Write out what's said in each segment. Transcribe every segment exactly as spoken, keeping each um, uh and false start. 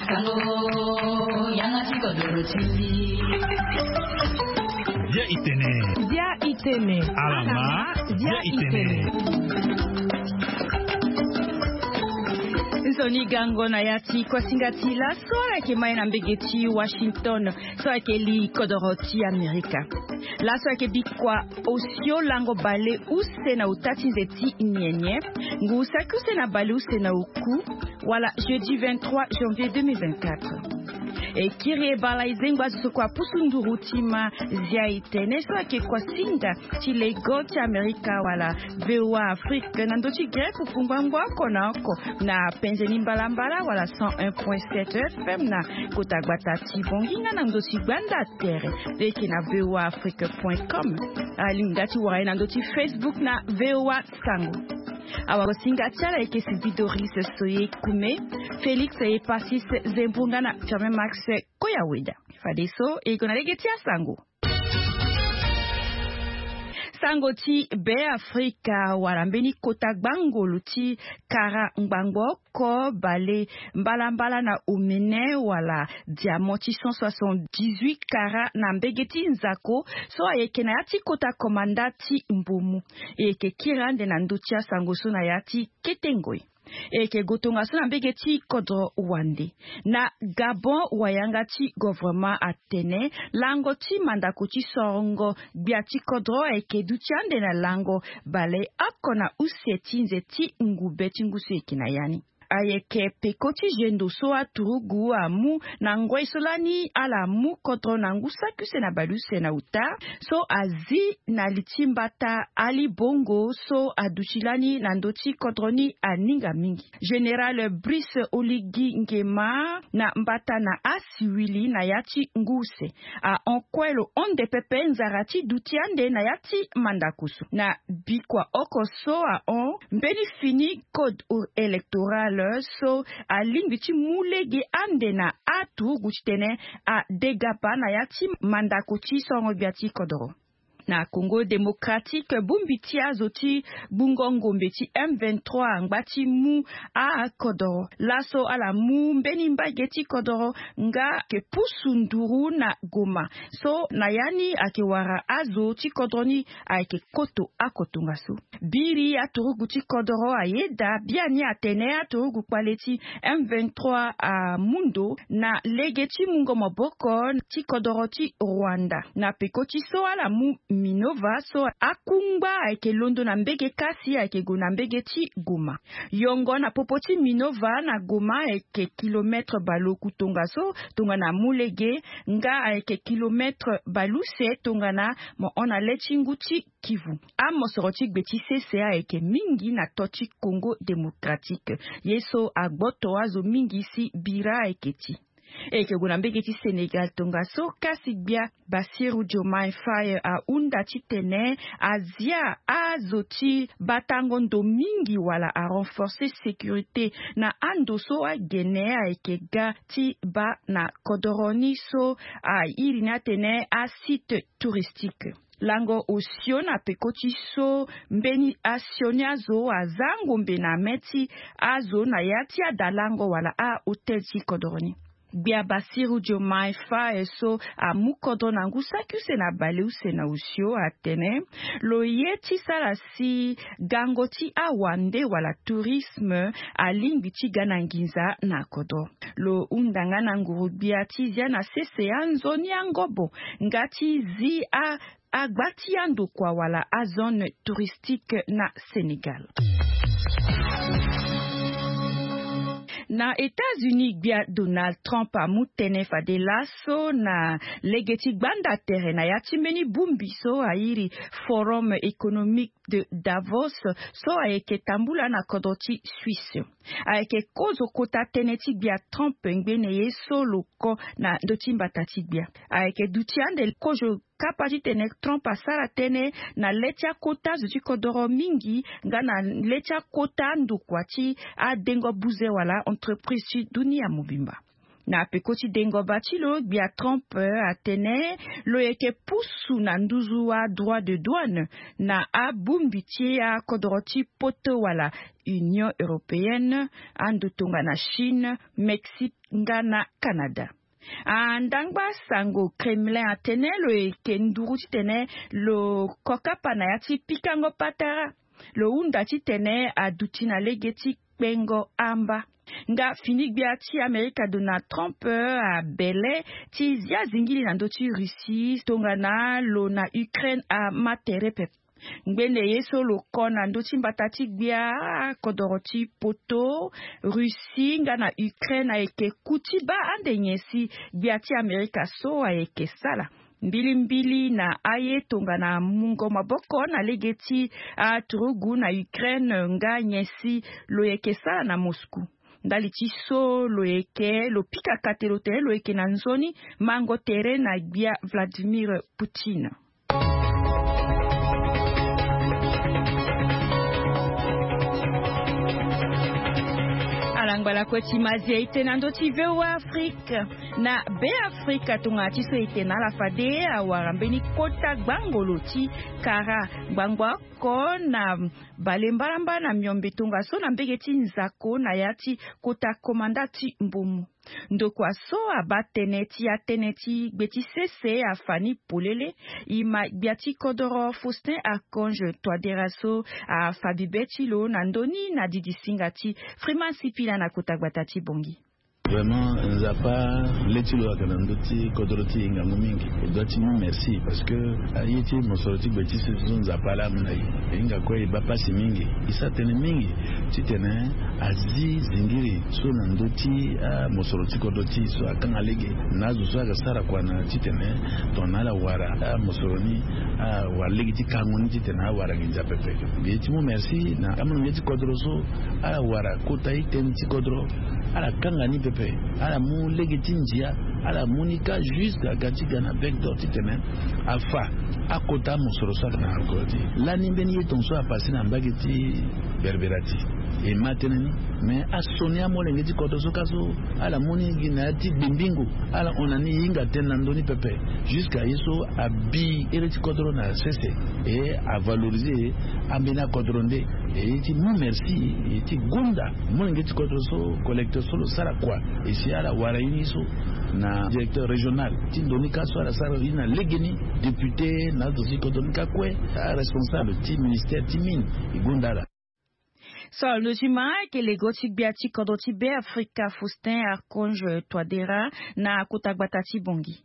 Sango, yanga ti kodoro ti mbi. Dia itene. Dia itene. Alama. Dia itene. Nzoni gango na ya ti kuasinga ti laso ala yeke mai na mbege ti Washington. So ayeke li kodoro ti Amerika. Laso ayeke bikua osio lango bale use na uta ti nze ti nyenye. Ngu saki use na bale use na oku. Wala jeudi vingt-trois janvier deux mille vingt-quatre. E kiri e bala e zengba zo so kua pusu nduru ti ma zia itene so ayeke kuasinga ti lego ti Amerika wala V O A Afrique na ndö ti grec kungbangbo oko na oko na penze ni mbalambala wala cent un point sept F M na kota gbata ti Bongi nga na ndö ti gbanda tere. Leke na V O A Afrique point com. Alingbi nga ti wara ye na ndö ti Facebook na V O A Sango. Awagosinga ti ala ayeke Sylvie Doris Soye Kume, Félix Epasis Zembo nga na Firmin Max Koyaweda. Fadeso e gue na lege ti asango. Sango ti Be Afrika wala mbeni kota gbangolo ti kara ngbangbo oko bale mbalambala na omene wala diamant ti cent soixante-dix-huit kara na mbege ti nzako so ayeke na ya ti kota komanda ti mbomu. E yeke kiri ande na ndö ti asango so na ya ti kete ngoi. E yeke gue tongaso na mbege ti kodro wande. Na Gabon, wayanga ti govrema atene lango ti mandako ti sorongo gbia ti kodro ayeke duti ande na lango bale oko na use ti nze ti ngube ti ngu so e yeke na ya ni. Ayeke peko ti zendo so aturugu amu na ngoi so lani ala mu kodro na ngu saki use na bale use na uta so azi na li ti mbata Ali Bongo so aduti lani na ndö ti kodro ni aninga mingi. Général Brice Oligui Nguema na mbata na asiwili na ya ti ngu use ahon kue lo honde pepe nzara ti duti ande na ya ti mandako so. Na bikua oko so ahon mbeni fini code électoral so alingbi ti mu lege ande na aturugu titene adegaba na ya ti mandako ti sorongo gbia ti kodoro. Na Congo Démocratique, bongbi ti azo ti gbungo ngombe ti M vingt-trois angba ti mu akodoro. Laso ala mu mbeni mbage ti kodoro nga ayeke pusu nduru na Goma. So na ya ni ayeke wara azo ti kodro ni ayeke koto oko tongaso. Biri aturugu ti kodoro ayeda biani atene aturugu kpale ti M vingt-trois amu ndo na lege ti mungo maboko ti kodoro ti Rwanda. Na peko ti so ala mu Minova so akungba ayeke londo na mbege kasi ayeke gue na mbege ti Goma. Yongo na popo ti Minova na Goma ayeke kilomètre baleoku tongaso tongana amu lege nga ayeke kilomètre baleuse tongana mo hon na le ti ngu ti Kivu. Amosoro ti gbe ti sese ayeke mingi na to ti Congo Démocratique. Ye so agboto azo mingi si bira ayeke ti. E yeke gue na mbege ti Sénégal tongaso kasi gbia Bassirou Diomaye Faye ahunda titene azia azo ti batango ndo mingi wala arenforcer sécurité na ando so agene ayeke ga ti baa na kodoro ni so airi ni atene asite touristique. Lango osio na peko ti so mbeni asioni azo aza ngombe na me ti azo na ya ti adalango wala ahotel ti kodoro ni. Gbia Bassirou Diomaye Faye so amu kodro na ngu saki use na baleuse na osio atene lo ye ti sara si gango ti awande wala tourisme alingbi ti ga na nginza na kodro. Lo hunda nga na nguru-gbia ti zia na sese anzoni angobo nga ti zi a agba ti andokua wala azone touristique na Sénégal. Na États-Unis, gbia Donald Trump amu tënë fade laso na lege ti gbanda tere na ya ti mbeni bongbi so airi Forum économique de Davos so ayeke tambula na kodro ti Suisse. Ayeke kozo kota tënë ti gbia Trump ngbene ye so lo ko na ndö ti mbata ti gbia. Ayeke duti ande kozo kapa titene Trump asara tënë na le ti akota zo ti kodoro mingi nga na le ti akota ndokua ti adengo buze wala entreprise ti dunia mobimba. Na peko ti dengoba ti lo, gbia Trump atene lo yeke pusu na nduzu adroit de douane na abongbi ti akodoro ti poto wala Union Européenne, ando tongana Chine, Mexique nga na Canada. Andangba sango Kremlin atene lo yeke nduru titene lo kokapa na ya ti pikango patara. Lo hunda titene aduti na lege ti kpengo amba. Nga fini gbia ti Amerika Donald Trump abele ti zia zingili na ndö ti Russie tongana lo na Ukraine ama tere pepe. Ngbene ye so lo ko na ndö ti mbata ti gbia akodoro ti poto, Russie nga na Ukraine ayeke ku ti baa ande nyen si gbia ti Amerika so ayeke sara. Mbilimbili na aye tongana mungo maboko na lege ti aturugu na Ukraine nga nyen si lo yeke sara na Moscou. Ndali ti so lo yeke lo pika kate lo tene lo yeke na nzoni mango tere na gbia Vladimir Poutine. Ala ngbalakue ti mazi aye tene na ndö ti V O A Afrique. Na Be Afrika tongana ti so e tene na ala fade awara mbeni kota gbangolo ti kara ngbangbo oko na bale mbalamba na miombe tongaso na mbege ti nzako na ya ti kota komanda ti mbomu. Ndokua so abaa tënë ti atënë ti gbe ti sese afani polele. E ma gbia ti kodoro Faustin Archange Touadéra so afa bibe ti lo na ndö ni na didi singa ti Freeman Sipila na kota gbata ti Bongi. Vraiment, Nzapa le ti lo ayeke na ndö ti kodro ti e ngangu mingi. E doit ti mu merci parce que aye ti mosoro ti gbe ti sese so Nzapa laa amu na e. E hinga kue e baa pasi mingi. E sara tënë mingi titene azi zingiri so na ndö ti amosoro ti kodro ti e so akanga lege na azo so ayeke sara kua na titene tongana ala wara amosoro ni awara lege ti kango ni titene awara nginza pepe. Mbi ye ti mu merci na amolenge ti kodro so ala wara kota ti tënë ti kodro, ala kanga ni pepe, ala mu lege ti ndia, ala mu ni ka juste aga ti ga na bec d'or titene afa akota amosoro so ayeke na kodro ti e. Lani mbeni ye tongaso apase na mbage ti Berberati. E ma tënë ni. Me asioni amolenge ti kodro so ka so ala mu ni gi na ya ti gbimbingo, ala hon na ni e hinga tënë na ndö ni pepe. Jusqu'à ye so abi ere ti kodro na sese e avaloriser ambeni akodro nde. E ye ti mu merci, e ye ti gonda molenge ti kodro so, collecteur so lo sara kua. E si ala wara ye ni so na directeur régional ti ndo ni ka so ala sara ye ni na legeni, député na azo ti kodro ni ka kue, aresponsable ti ministère ti mine, e gonda ala. So alondo ti ma ayeke lego ti gbia ti kodro ti Be Afrika Faustin Archange Touadéra na kota gbata ti Bongi.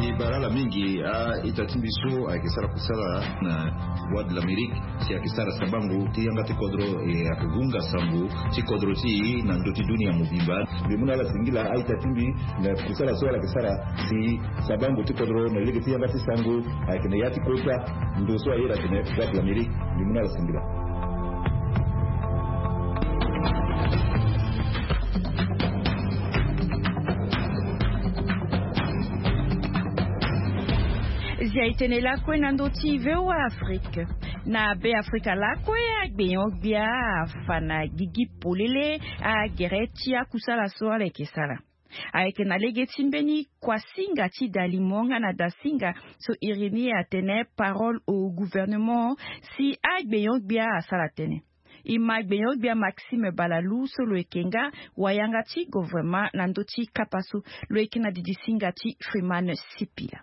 E bara ala mingi a-ita ti mbi so ayeke sara kusala na Voix de l'Amérique si ayeke sara sabango ti yanga ti kodro, e ayeke hunga sango ti kodro ti e na ndö ti dunia mobimba. Mbi mu na ala singila a-ita ti mbi na kusala so ala yeke sara si sabango ti kodro na lege ti yanga ti sango ayeke na ya ti kota ndo so ayeda atene Voix de l'Amérique. Mbi mu na ala singila. Zia e tene lakue na ndö ti V O A Afrique. Na Be Afrika lakue, agbenyo-gbia afa na gigi polele agere ti akusala so ala yeke sara. Ayeke na lege ti mbeni kuasinga ti dalimo nga na dasinga so Irini atene parole au gouvernement si agbenyo-gbia asara tënë. E ma gbenyo-gbia Maxime Balalou so lo yeke nga wayanga ti governement na ndö ti kapa so. Lo yeke na didi singa ti Freeman Sipila.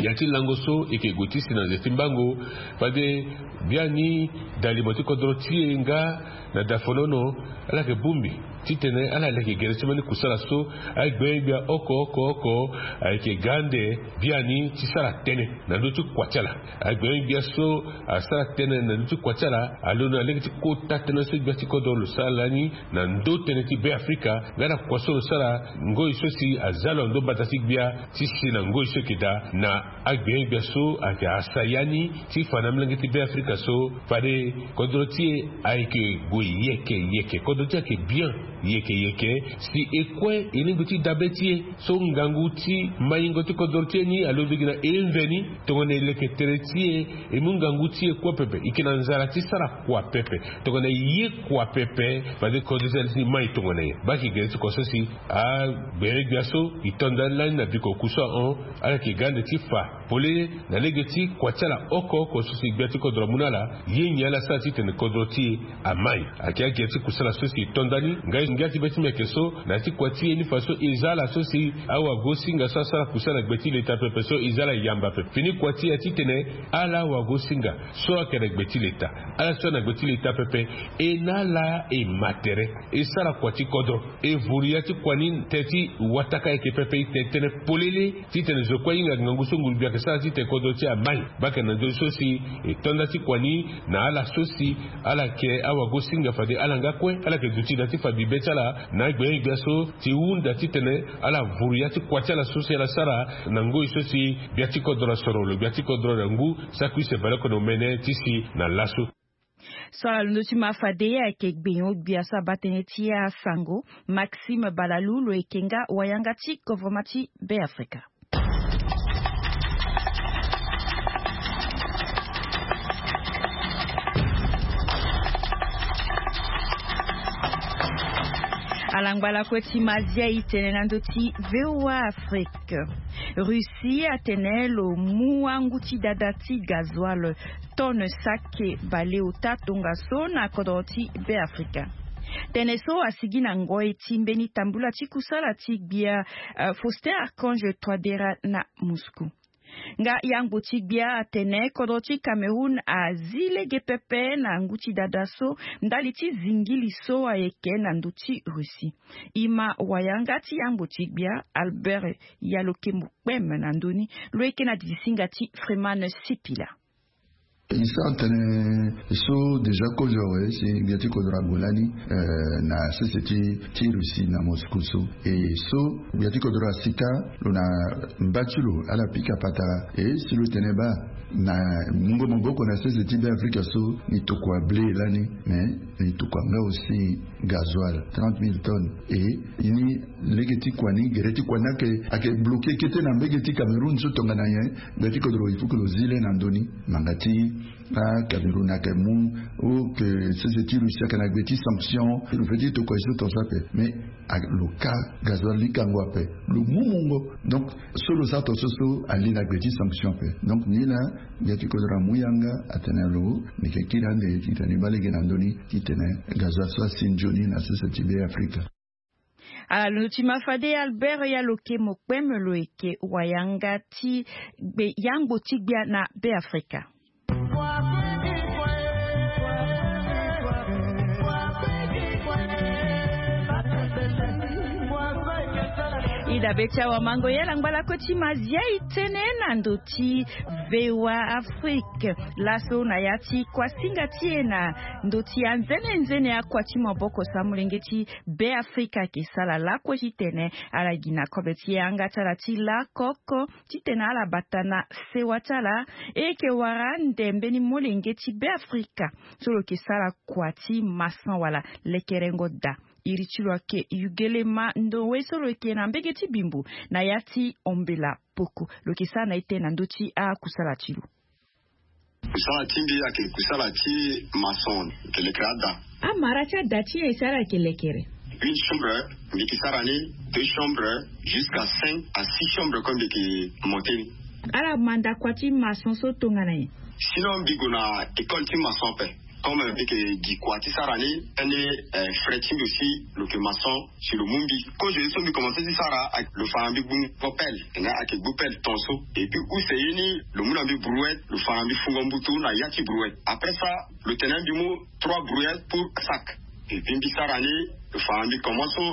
Ya ti lango so e yeke gue ti si na nze ti mbango fade biani dalimo ti kodro ti e nga na dafonono ala yeke bongbi titene ala leke gere ti mbeni kusala so agbenyo-gbia oko oko oko ayeke ga ande biani ti sara tënë na ndö ti kua ti ala. Agbenyo-gbia so asara tënë na ndö ti kua ti ala alondo na lege ti kota tënë so gbia ti kodro lo sara lani na ndö tënë ti Be Afrika nga na kua so lo sara ngoi so si aza lo na ndö mbata ti gbia ti si na ngoi so yeke daa na agbenyo-gbia so ayeke asaya ni ti fa na molenge ti Be Afrika so fade kodro ti e ayeke gue yeke yeke, kodro ti e ayeke bien. Yeke yeke si e kue e lingbi ti dabe ti e so ngangu ti maingo ti kodro ti e ni alobi gi na e mveni. Tongana e leke tere ti e, e mu ngangu ti e kue pepe, e yeke na nzara ti sara kua pepe. Tongana e ye kua pepe, fade kodro ti e ni mai tongana nyen? Baa eke gere ti kua so si agbenyo-gbia so e to ndani lani na biko oku so ahon, ala yeke ga ande ti fa polele na lege ti kua ti ala oko oko so si gbia ti kodro amu na ala. Ye nyen ala sara titene kodro ti e amai? Ayeke agere ti kusala so si e to ndani. Ngai ngia ti be ti mbi ayeke so na ya ti kua ti e ni fa so e za ala so si awagosinga so asara kusala na gbe ti leta pepe so e za ala yamba pepe. Fini kua ti e ya titene ala awagosinga so ayeke na gbe ti leta, ala so ayeke na gbe ti leta pepe, e na ala e ma tere, e sara kua ti kodro, e vuru ya ti kua ni tënë ti wataka ayeke pepe, e tene tënë polele titene zo kue ahinga ngangu so nguru-gbia ayeke sara titene kodro ti e amai. Baa eke na ndö so si e to nda ti kua ni na ala so si ala yeke awagosinga fade ala nga kue ala yeke duti na ya ti fa bibe ti ala na agbenyo-gbia so ti hunda titene ala vuru ya ti kua ti ala so si ala sara na ngoi so si gbia ti kodro asoro lo gbia ti kodro na ngu. Sakui se baleoko na omene ti si na laso. So ala londo ti ma fade ye ayeke gbenyo-gbia so abaa tënë ti asango, Maxime Balalou, lo yeke nga wayanga ti govoroma ti Beafrika. Ala ngba lakue ti ma zia e tene na ndö ti VOA Afrique. Russie atene lo mu angu ti dada ti gazoil tonne sake baleota tongaso na kodro ti Beafrika. Tënë so asigi na ngoi ti mbeni tambula ti kusala ti gbia, eh, Faustin Archange Touadéra na Moscou. Nga yangbo ti gbia atene kodro ti Cameroun azi lege pepe na ngu ti dada so ndali ti zingili so ayeke na ndö ti Russie. E ma wayanga ti yangbo ti gbia Albert Yalokemo Kpem na ndö ni, lo yeke na didisinga ti Freeman Sipila. E sara tënë so déjà kozo awe si gbia ti kodro ague lani, eh, na sese ti, ti Russie na Moscou so. E so gbia ti kodro asita lo na mba ti lo ala pika patara. E si lo tene baa na mungo maboko na sese ti Beafrika so ni tokua blé lani, mais ni tokua nga aussi gazoil trente mille tonnes. E ni lege ti kua ni, gere ti kua ni ayeke, ayeke bloqué kete na mbege ti Cameroun so tongana nyen? Gbia ti kodro il faut que lo zi le na ndö ni. Ngbanga ti aCameroun ayeke mu, ou que sese ti Russie ayeke na gbe ti sanction, lo fait ti tokua e so tongaso ape. Mais a, lo ka gazoil ni kango ape, lo mu mungo. Donc so lo sara tongaso so ali na gbe ti sanction ape. Donc ni laa gbia ti kodro amu yanga atene lo, ni yeke kiri ande titene e baa lege na ndö ni titene gazoil so asi nzoni na sese ti Beafrika. Ala londo ti ma fade Albert Yalokemo Kpem, lo yeke wayanga ti gbe, yangbo ti gbia na Beafrika. E dabe ti awamango, e ala ngba lakue ti ma zia e tene na ndö ti VOA Afrique. Laso na ya ti kuasinga ti e na ndö ti anzene nzene akua ti maboko so amolenge ti Beafrika ayeke sara lakue titene ala gi na kobe ti yanga ti ala ti lakoko titene ala bata na sewa ti ala. E yeke wara ande mbeni molenge ti Beafrika so lo yeke sara kua ti maçon wala lekerengo daa. Iri ti lo ayeke Yugelema Ndowe so lo yeke na mbege ti Bimbo na ya ti Ombela Poko. Lo yeke sara na e tënë na ndö ti akusala ti lo. Kusala ti mbi ayeke kusala ti maçon, yeke lekere ada. Amara ti ada ti e si ala yeke lekere? Une chambre, mbi yeke sara ni, deux chambres, jusqu'à cinq à six chambres comme mbi yeke monter ni. Ala manda kua ti maçon so tongana nyen? Sinon mbi gue na école ti maçon ape. Comme mbi yeke gi kua ti sara ni, tënë, eh, frère ti mbi aussi lo yeke maçon, si lo mu mbi. Kozo ye so mbi commencé ti sara, lo fa na mbi gbu ngo pelle, nga ayeke gbu pelle tongaso. Et puis use ye ni lo mu na mbi brouette, lo fa na mbi fungo mbutu na ya ti brouette. Après ça lo tene na mbi mu trois brouettes pour sac. Et puis mbi sara ni, lo fa na mbi commencé so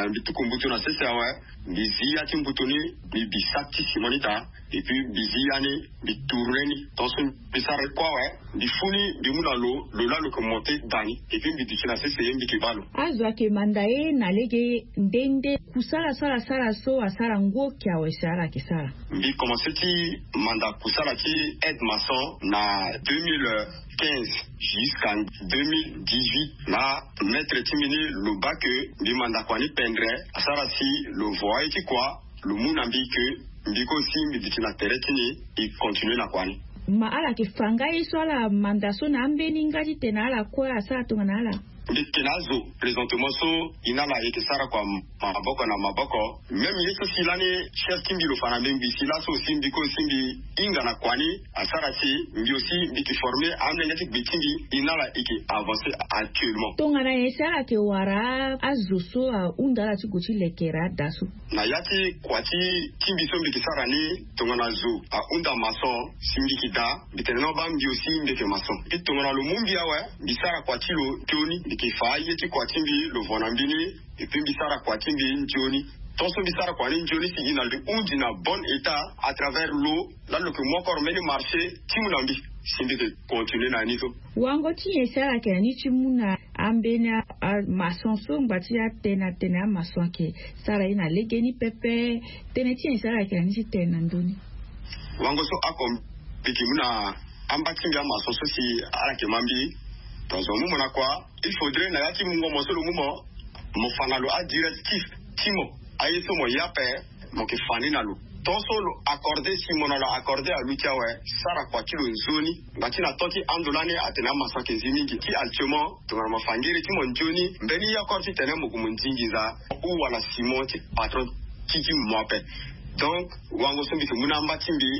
Mbi tuku mbutu na sese awe. Mbi zi ya ti mbutu ni, mbi bi saki ti sima ni daa. Et puis mbi zi ya ni, mbi tourne ni. Tant so mbi sara kue awe, mbi fu ni, mbi mu na lo, lo laa lo yeke monte daa ni. Et puis mbi duti na sese ye, mbi yeke baa lo. Azo ayeke manda ye na lege nde nde? Kusala so ala sara so asara ngu oke awe si ala yeke sara. Mbi commence ti manda kusala ti aide maçon na deux mille quinze jusqu'à deux mille dix-huit. Na maître ti mbi ni lo baa ke mbi manda kua ni pendre, asara si lo vo aye ti kua, lo mu na mbi ke mbi kue aussi mbi duti na tere ti ni, e continue na kua ni. Ma ala yeke fa nga ye so ala manda so na ambeni nga titene ala kue asara tongana ala? Mbi yeke na azo présentement so e na ala e yeke sara kua maboko na maboko. Même ye so si lani chef ti mbi lo fa na mbi, mbi si laso aussi mbi kue aussi mbi hinga na kua ni, asara si mbi aussi mbi yeke forme amolenge ti gbe ti mbi, e na ala e yeke avancer actuellement. Tongana nyen si ala yeke wara azo so ahunda ala ti gue ti lekere ada so? Na ya ti kua ti ti mbi so mbi yeke sara ni, tongana zo ahunda maçon si mbi yeke daa, mbi tene na baa mbi aussi mbi yeke maçon. Mbi tongana lo mu mbi awe, mbi sara kua ti lo nzoni, mbi yeke fa aye ti kua ti mbi, lo vo na mbi ni. Et puis mbi sara kua ti mbi nzoni. Tant so mbi sara kua ni nzoni si e na lo hundi na bon état à travers lo, laa lo yeke mu encore mbeni marché ti mu na mbi si mbi yeke continuer na ni so. Wango ti nyen si ala yeke na ni ti mu na ambeni a, a maçon so ngba ti atene atene amaçon ayeke sara ye na legeni pepe? Tënë ti nyen si ala yeke na ni ti tene na ndö ni? Wango so oko mbi yeke mu na amba ti mbi amaçon so si ala yeke ma mbi. Dans un moment na kua, il faudrait na ya ti mungo mo so lo mu mo, mo fa na lo adirectif ti mo. Aye so mo ye ape, mo yeke fa ni na lo. Tant so lo accordé si mo na lo accordé aluti awe, sara kua ti lo nzoni. Ngba ti na temps ti ando lani atene amaçon ayeke zi mingi. Ti actuellement, tongana mo fa ngere ti mo nzoni, mbeni ye encore titene mo gue mo ndi nginza ou wala ciment ti patron ti ti mo ape. Donc wango so mbi yeke mu na amba ti mbi,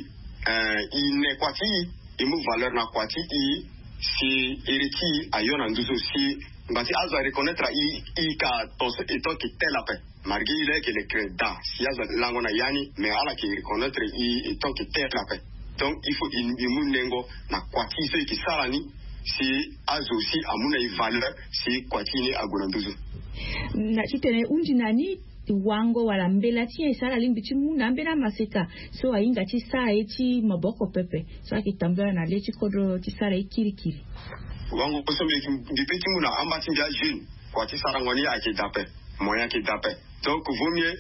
eh, e ne kua ti e, e mu valeur na kua ti e, si iri ti e ayo na nduzu si ngba ti azo areconnaître e, e ka ton so e tant que tel ape. Malgré e laa e yeke lekere daa si azo alango na ya ni, mais ala yeke reconnaître e, e tant que tel ape. Donc il faut e, e mu nengo na kua ti e so e yeke sara ni, si azo aussi amu na e valeur, si kua ti e ni ague na nduzu. Na titene e hundi na ni wango wala mbela ti nyen si ala lingbi ti mu na ambeni amaseka so ahinga ti sara ye ti maboko pepe, so ayeke tambula na le ti kodro ti sara ye kirikiri? Wango so mbi, mbi pe ti mu na amba ti mbi ajeune, kua ti sarango ni ayeke daa ape, moyen ayeke daa ape. Donc vaut mieux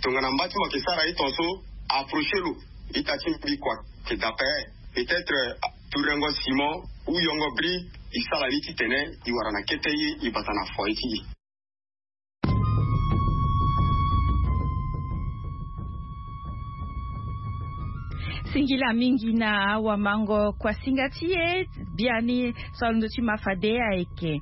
tongana mba ti mo ayeke sara ye ton so, approcher lo, ita ti mbi kua ayeke daa ape. Peut-être, euh, tourengo ciment ou yongo brique, e sara ni titene e wara na kete ye, e bata na foyer ti e. Singila mingi na awamango kuasinga ti e. Biani so alondo ti ma fade ayeke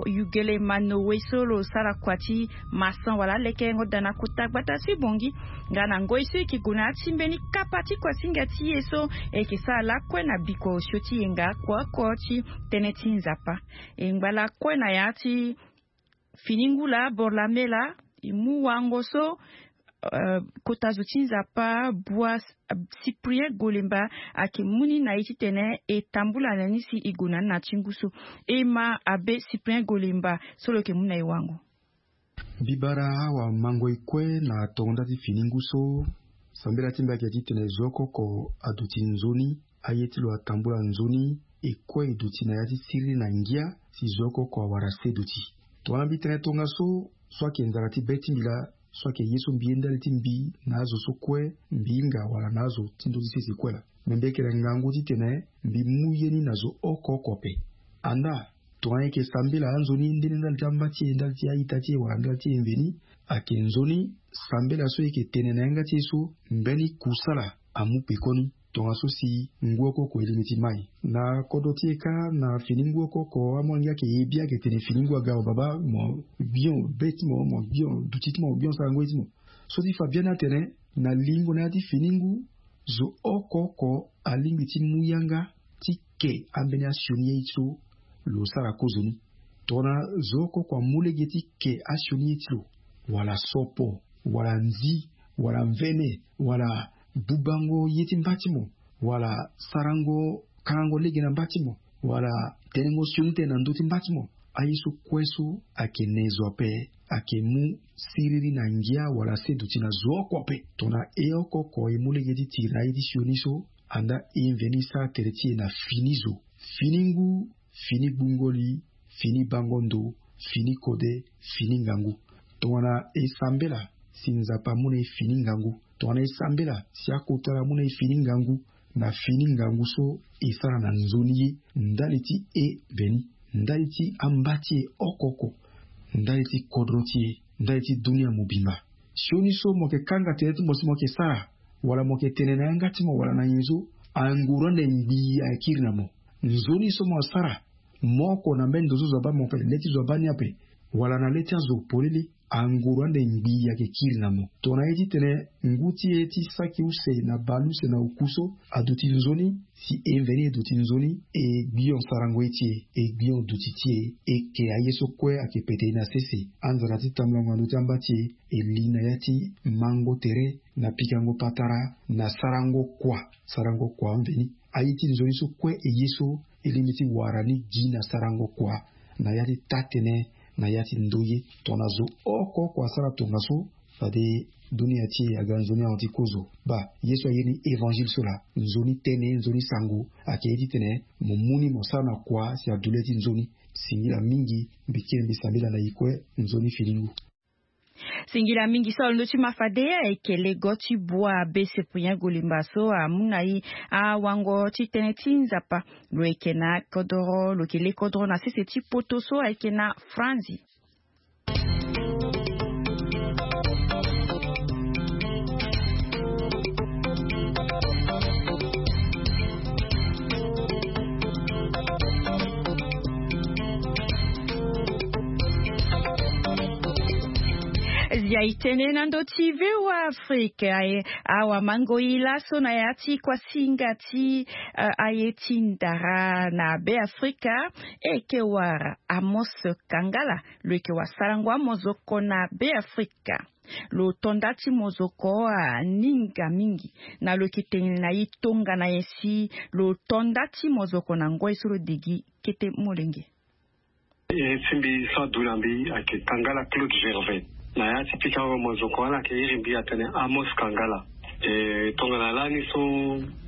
Yugelema Noe so lo sara kua ti maçon wala alekerengo daa na kota gbata ti Bangui. Nga na ngoi so e yeke gue na ya ti mbeni kapa ti kuasinga ti e so e yeke sara lakue na biko osio ti yenga oko oko ti tënë ti Nzapa. E ngba lakue na ya ti fini ngu laa boro lame laa, e mu wango so, eh, kota zo ti Nzapa Bua Cyprien Golemba ayeke mu ni na e titene e tambula na ni si e gue na ni na ti ngu so. E ma abe Cyprien Golemba so lo yeke mu na e wango. Mbi bara awamango e kue na tongo nda ti fini ngu so. Sambela ti mbi ayeke titene zo oko oko aduti nzoni, aye ti lo atambula nzoni, e kue e duti na ya ti siriri na ngia, si zo oko oko awara se duti. Tongana mbi tene tongaso, so ayeke nzara ti be ti mbi laa, so ayeke ye so mbi ye ndali ti mbi na azo so kue mbi hinga wala na azo ti ndö ti sese kue laa. Me mbi yeke na ngangu titene mbi mu ye ni na zo oko oko ape. Andaa, tongana e yeke sambela anzoni nde ni ndali ti amba ti e, ndali ti a-ita ti e wala ndali ti e mveni, ayeke nzoni sambela so e yeke tene na yanga ti e so mbeni kusala amu pekoni. Tongaso si ngu oko oko e lingbi ti mai na kodro ti e kâ, na fini ngu oko oko amolenge ayeke ye bia ayeke tene fini ngu aga, mo baba, mo bion be ti mo, mo bion duti ti mo, mo bion sarango ye ti mo. So ti fa biani atene na lingo na ya ti fini ngu, zo oko oko alingbi ti mu yanga ti ke ambeni asioni ye so lo sara kozoni. Tongana zo oko oko amu lege ti ke asioni ye ti lo, wala sopo, wala nzi, wala mvene, wala bubango ye ti mba ti mo, wala sarango kangango lege na mba ti mo, wala tenengo sioni tënë na ndö ti mba ti mo, aye so kue so ayeke ne zo ape. ayeke mu siriri na ngia wala se duti na zo oko ape. Tongana e oko oko e mu lege ti tiri na aye ti sioni so, andaa e mveni sara tere ti e na fini zo, fini ngu, fini gbungo li, fini bango ndo, fini kode, fini ngangu. Tongana e sambela si Nzapa amu na e fini ngangu, tongana e sambela si akota laa amu na e fini ngangu, na fini ngangu so e sara na nzoni ye, ndali ti e mbeni, ndali ti amba ti e oko oko, ndali ti kodro ti e, ndali ti dunia mobimba. Sioni so mo yeke kanga tënë ti mo si mo yeke sara, wala mo yeke tene na yanga ti mo wala na nyen so, anguru ande ngbii ayeke kiri na mo. Nzoni so mo asara, mo oko na mbeni ndo so zo abaa mo ape, le ti zo abaa ni ape, wala na le ti azo polele, anguru ande ngbii ayeke kiri na mo. Tongana ye titene ngu ti e ti saki use na bale use na oku so aduti nzoni, si e mveni e duti nzoni, e gbion sarango ye ti e, e gbion duti ti e, e ke aye so kue ayeke pete e na sese. Anzara ti tambulango na ndö ti amba ti e, e li na ya ti mango tere, na pikango patara, na sarango kua, sarango kua amveni. Aye ti nzoni so kue e ye so, e lingbi ti wara ni gi na sarango kua, na ya ti taa-tënë, na ya ti ndoye. Tongana zo oko oko asara tongaso, fade dunia ti e aga nzoni ahon ti kozo. Baa, ye so aye ni évangile so laa, nzoni tënë, nzoni sango, ayeke ye titene mo mu ni mo sara na kua si adu le ti nzoni. Singila mingi, mbi kiri mbi sambela na e kue, nzoni fini ngu. Singila mingi so alondo ti ma fade ayeke lego ti bua be Cyprien Golimba so amu na e awango ti tënë ti Nzapa. Lo yeke na kodoro, lo yeke le kodoro na sese ti poto so ayeke na Franzi. Zia e tene na ndö ti V O A Afrique, aye, awamango e laso na ya ti kuasinga ti, eh, aye ti ndara na Beafrika, e yeke wara Amos Kangala, lo yeke wara sarango amozoko na Beafrika. Lo to nda ti mozoko aninga mingi, na lo yeke tene na e tongana nyen si lo to nda ti mozoko na ngoi so lo degi kete molenge. Iri ti mbi so adu na mbi ayeke Kangala Claude Gervais. Na ya ti pikango mozoko wala ayeke iri mbi atene Amos Kangala. E, tongana lani so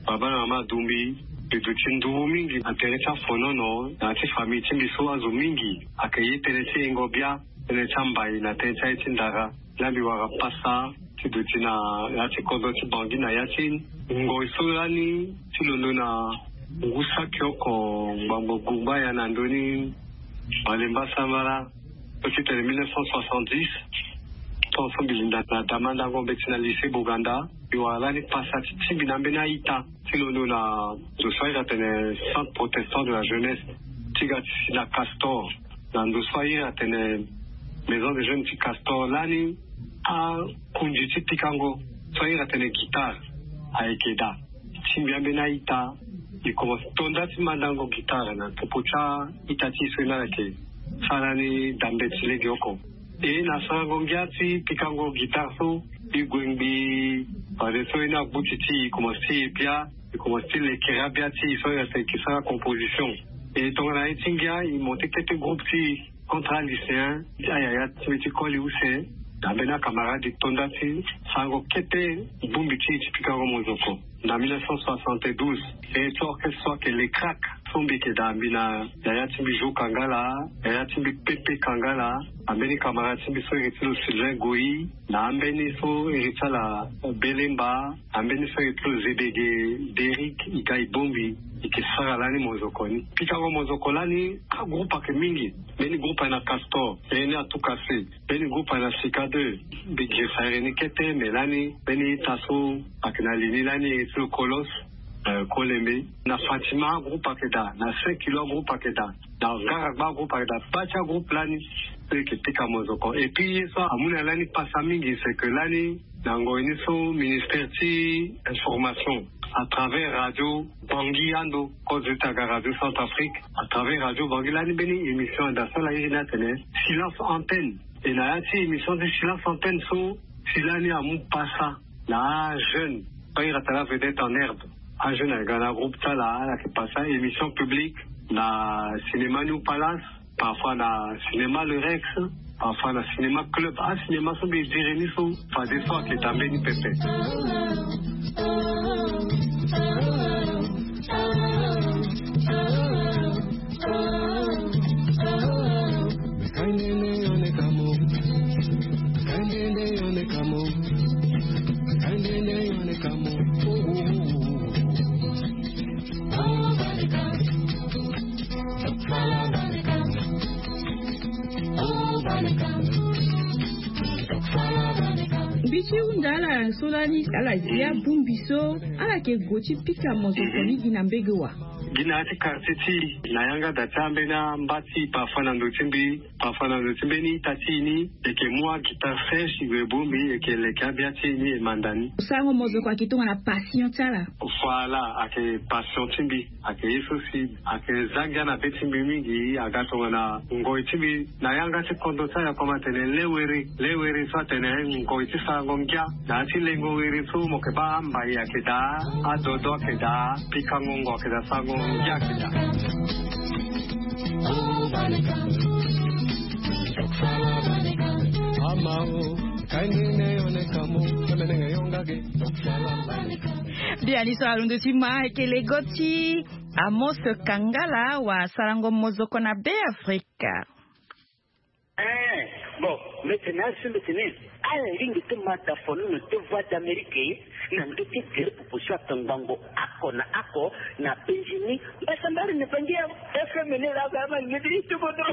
baba na mama adu mbi, mbi duti nduru mingi na tere ti afonono, na ya ti famille ti mbi so azo mingi ayeke ye tënë ti yengo bia, tënë ti ambai na tënë ti aye ti ndara. Lani mbi wara pasa ti duti na ya ti kodro ti Bangui na ya ti ngoi so lani ti londo na ngu saki oko ngbangbo gumba ya na ndö ni Malemba Sambala, so ti tene mille neuf cent soixante-dix. Tongaso mbi linda na damandango mbeti na lycée Boganda, mbi wara lani pasa ti tingbi na ambeni a-ita ti londo na ndo so a iri atene Centre Protestant de la Jeunesse, ti ga ti si na Castor, na ndo so a iri atene Maison de Jeunes ti Castor. Lani akundi ti pikango so a iri atene guitare ayeke daa. Ti mbi ambeni a-ita, e komanse to nda ti mandango guitare na popo ti a-ita ti e so e na ala yeke sara ni dambe ti lege oko. E na sarango ngia ti pikango guitare so, e gue ngbii, fadeso e na gbuti ti e, e komanse ti e bia, e komanse ti lekere abia ti e so e yeke sara composition. E tongana ye ti ngia, e monte kete groupe ti e contre a-lycéen, ti ayaya ti mbi ti koli use, na ambeni acamarade e to nda ti sarango kete bongbi ti e ti pikango mozoko. Na mille neuf cent soixante-douze, e ti orchestre so ayeke Les Cracks, so mbi yeke daa mbi na yaya ti mbi Jo Kangala, yaya ti mbi Pepe Kangala, ambeni camarade ti mbi so iri ti lo Sylvain Goyi, na ambeni so iri ti ala Belemba, ambeni so iri ti lo Zebege Derrick, e ga e bongbi, e yeke sara lani mozoko ni. Pikango mozoko lani, agroupe ayeke mingi. Mbeni groupe ayeke na Castor, mbeni Atukase, mbeni groupe ayeke na Sika deux. Mbi girisa iri ni kete, me lani mbeni ita so ayeke na li ni lani iri ti lo Kolos, eh, Kolembe. Na Fatima agroupe ayeke daa, na Saint Kilo agroupe ayeke daa, na Ngaragba agroupe ayeke daa, baa ti agroupe lani so e yeke pika mozoko. Et puis ye so amu na lani pasa mingi, c'est que lani na ngoi ni so ministère ti information à travers radio Bangui ando, kozo ti aga Radio Centrafrique, à travers radio Bangui lani mbeni émission anda so ala iri ni atene Silence Antenne. E na ya ti émission ti Silence Antenne so, si lani amu pasa na ajeune so a iri atene Vedette en herbe. Ajeune ayeke ga na groupe ti ala, ala yeke pasa émission publique na cinéma New Palace, parfois na cinéma Le Rex, Afa na cinéma club, acinéma so mbi diri ni so, fade so ayeke da mbeni pepe. Mbi ti hunda ala so lani ala zi abongbi so ala yeke gue ti pika mozoko ni gi na mbege wa. Gi na ya ti quartier ti e na yanga da ti ambeni amba ti e, parfois na ndo ti mbi, parfois na ndo ti mbeni ita ti e ni, e yeke mu aguitare sèche e gue e bongbi, e yeke leke abia ti e ni e manda ni. Sarango mozoko ayeke tongana passion ti ala. Voilà, ayeke passion ti mbi. Ayeke ye so si ayeke za ngia na be ti mbi mingi. Aga tongana ngoi ti mbi na yanga ti kondo ti ayoko ma atene le wiri, le wiri so atene ngoi ti sarango ngia. Na ya ti lengo wiri so mo yeke baa ambai ayeke daa, adodo ayeke daa, pikango ngo ayeke daa, sarango ngia ayeke daa. Biani so alondo ti ma ayeke lego ti Amos Kangala wa sarango mozoko na Be Afrika. Eh, bon, mbeti na asu mbeti ni. Ala lingbi ti ma da fono na deux voix d'Amérique na ndö ti gere popo so atongbango oko na oko na penzi ni. Mbasambari ni bangi ya F M ni la ba ma ngedi ti bodo.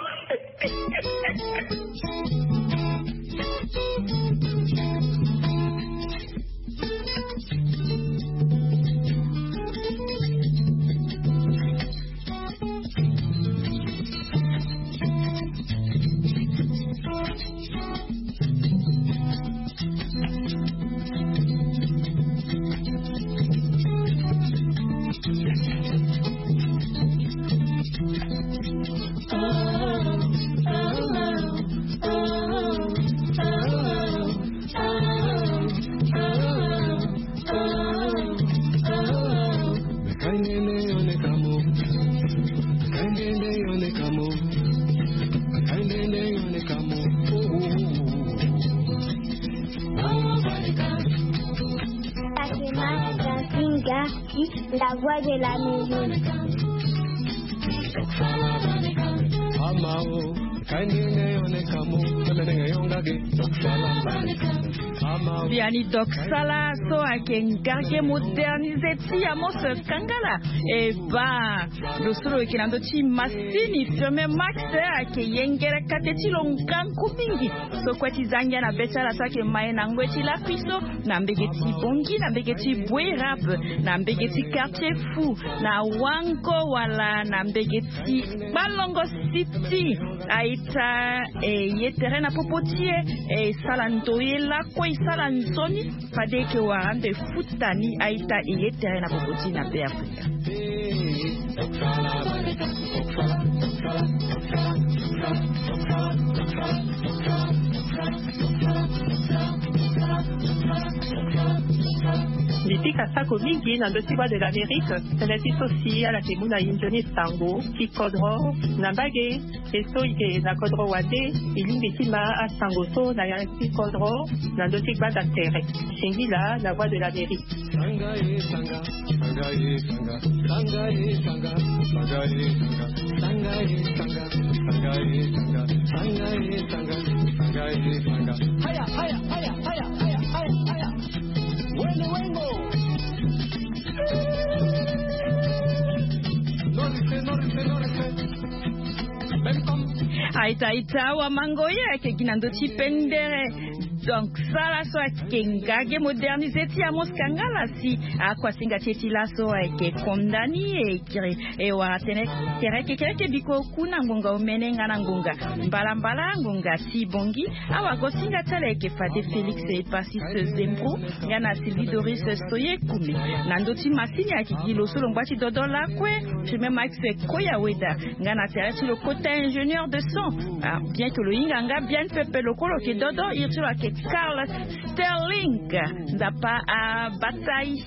Fatima Gasinga, la voix de l'Amérique. Biani doksala so ayeke ngarge modernisé ti Amos Kangala. E baa, lo so lo yeke na ndö ti masini Firmin Max ayeke yengere kate ti lo ngangu mingi. So kue ti za ngia na be ti ala so ayeke ma e na ngoi ti lakui so, na mbege ti Bangui, na mbege ti Bouérab, na mbege ti Quartier Fou, na Wango wala na mbege ti Balongo City. A-ita e ye tere na popo ti e, e sala ndoye lakue, e sala nzoni. Fade e yeke wara ande e futa ni, a-ita e ye tere na popo ti e na Be Afrika. Mbi pika sako mingi na ndö ti Voix de l'Amérique, tënë ti so si ala yeke mu na e nzoni sango ti kodro na mbage. E so e yeke na kodro wande, e lingbi ti ma asango so na ya ti kodro na ndö ti gbanda tere. Singila na Voix de l'Amérique. Aita, aita, awa mango ye ayeke gi na ndö ti pendere. Donc sala so ayeke ngage modernisé ti Amos Kangala si akuasinga ti e ti laso ayeke condamné e kiri e wara tënë kereke kereke biko ku na ngonga omene nga na ngonga mbalambala ngonga ti Bangui. Awagosinga ti ala ayeke fade Félix Epasis Zembro nga na Sylvie Doris Soye Koumé. Na ndö ti masini ayeke gi lo so lo ngba ti dodo lakue, Firmin Max Koya Weda, nga na tere ti lo kota ingénieur de son. Ah, bien que lo hinga nga bien pepe, lo kue lo yeke dodo, iri ti lo ayeke Carl Sterling Nzapa abata e.